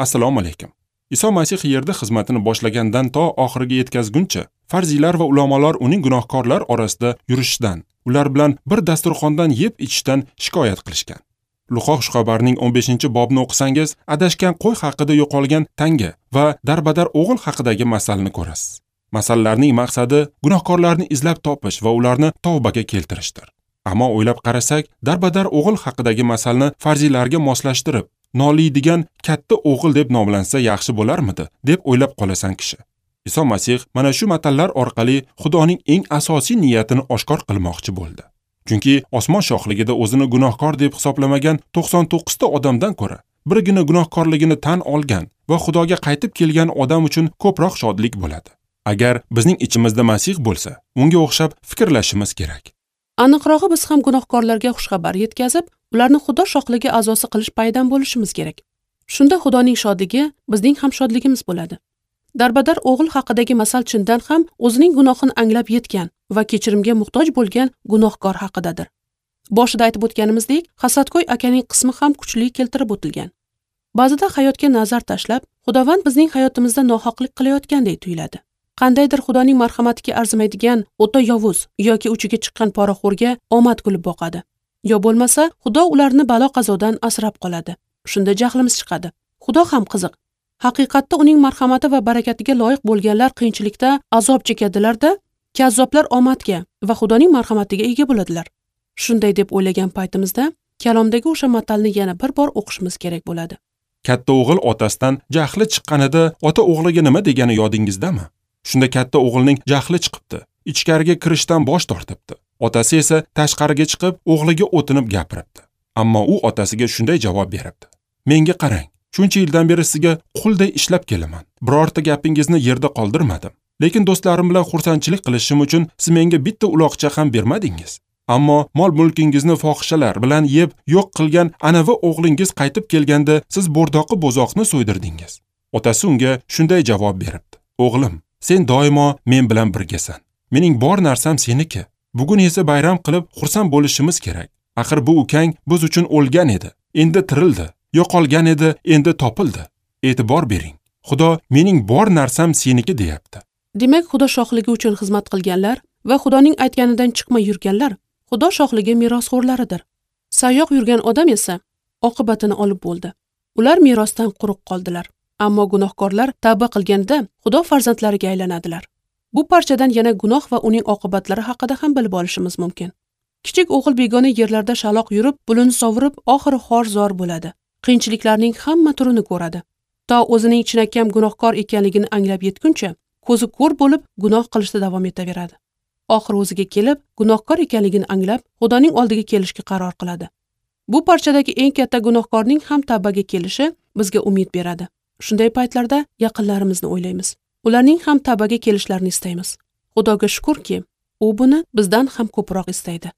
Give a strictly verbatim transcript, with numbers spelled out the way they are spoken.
Assalomu alaykum. Iso Masih yerda xizmatini boshlagandan to oxiriga yetkazguncha farziylar va ulamolar uning gunohkorlar orasida yurishidan, ular bilan bir dasturxondan yeb ichishdan shikoyat qilishgan. Luqo xushxabarining o'n beshinchi bobini o'qisangiz, adashgan qo'y haqida yo'qolgan tanga va darbadar o'g'il haqidagi masalni ko'rasiz. Masallarning maqsadi gunohkorlarni izlab topish va ularni tavbaga keltirishdir. Ammo o'ylab qarasak, darbadar o'g'il haqidagi masalni farziylarga moslashtirib, noliydigan katta o'g'il deb nomlansa yaxshi bo'larmidi, deb o'ylab qolasan kishi. Iso Masih mana shu matallar orqali Xudoning eng asosiy niyatini oshkor qilmoqchi bo'ldi. Chunki osmon shohligida o'zini gunohkor deb hisoblamagan to'qson to'qqizta odamdan ko'ra birgina gunohkorligini tan olgan va Xudoga qaytib kelgan odam uchun ko'proq shodlik bo'ladi. Agar bizning ichimizda Masih bo'lsa, unga o'xshab fikrlashimiz kerak. Aniqrog'i, biz ham gunohkorlarga xushxabar yetkazib, ularni Xudo shohligi a'zosi qilish paydan bo'lishimiz kerak. Shunda Xudoning shodligi bizning ham shodligimiz bo'ladi. Darbadar o'g'il haqidagi masal chindan ham o'zining gunohini anglab yetgan va kechirimga muhtoj bo'lgan gunohkor haqidadir. Boshida aytib o'tganimizdek, hasadgo'y akaning qismi ham kuchli keltirib o'tilgan. Ba'zida hayotga nazar tashlab, Xudovand bizning hayotimizda nohaqlik qilayotgandek tuyuladi. Qandaydir Xudoning marhamatiga arzimaydigan o'ta yovuz yoki uchiga chiqqan poraxo'rga omad kulib boqadi. Yo bo'lmasa, Xudo ularni balo qazodan asrab qoladi. Shunda jahlimiz chiqadi. Xudo ham qiziq. Haqiqatda uning marhamati va barakatiga loyiq bo'lganlar qiyinchilikda azob chekadilar-da, kazzoblar omadga va Xudoning marhamatiga ega bo'ladilar. Shunday deb o'ylagan paytimizda kalomdagi o'sha matalni yana bir bor o'qishimiz kerak bo'ladi. Katta o'g'il otasidan jahli chiqqanida ota o'g'liga nima degani yodingizdami? Shunda katta o'g'ilning jahli chiqibdi, ichkariga kirishdan bosh tortibdi. Otasi esa tashqariga chiqib o'g'liga o'tinib gapiribdi. Ammo u otasiga shunday javob beribdi: "Menga qarang, shuncha yildan beri sizga qulday ishlab kelaman. Birorta gapingizni yerda qoldirmadim. Lekin do'stlarim bilan xursandchilik qilishim uchun siz menga bitta uloqcha ham bermadingiz. Ammo mol-mulkingizni fohishalar bilan yeb yo'q qilgan anavi o'g'lingiz qaytib kelganda siz bo'rdoqi bo'zoqni so'ydirdingiz." Otasi unga shunday javob beribdi: "O'g'lim, sen doimo men bilan birgasan. Mening bor narsam seniki. Bugun esa bayram qilib xursand bo'lishimiz kerak. Axir bu ukang biz uchun o'lgan edi, endi tirildi. Yo'qolgan edi, endi topildi. E'tibor bering. Xudo mening bor narsam seniki deyapti." Demak, Xudo shohligi uchun xizmat qilganlar va Xudoning aytganidan chiqmay yurganlar Xudo shohligi merosxo'rlaridir. Sayoq yurgan odam esa oqibatini olib bo'ldi. Ular merosdan quruq qoldilar. Ammo gunohkorlar tavba qilganda Xudo farzandlariga aylanadilar. Bu parchadan yana gunoh va uning oqibatlari haqida ham bilib olishimiz mumkin. Kichik o'g'il begona yerlarda shaloq yurib, pulini sovurib, oxiri xor-zor bo'ladi. Qiyinchiliklarning hamma turini ko'radi. To o'zining chinakam gunohkor ekanligini anglab yetguncha, ko'zi ko'r bo'lib gunoh qilishda davom etaveradi. Oxiri o'ziga kelib, gunohkor ekanligini anglab, Xudoning oldiga kelishga qaror qiladi. Bu parchadagi eng katta gunohkorning ham tavbaga kelishi bizga umid beradi. Shunday paytlarda yaqinlarimizni o'ylaymiz. Ularning ham tavbaga kelishlarini istaymiz. Xudoga shukrki, u buni bizdan ham ko'proq istaydi.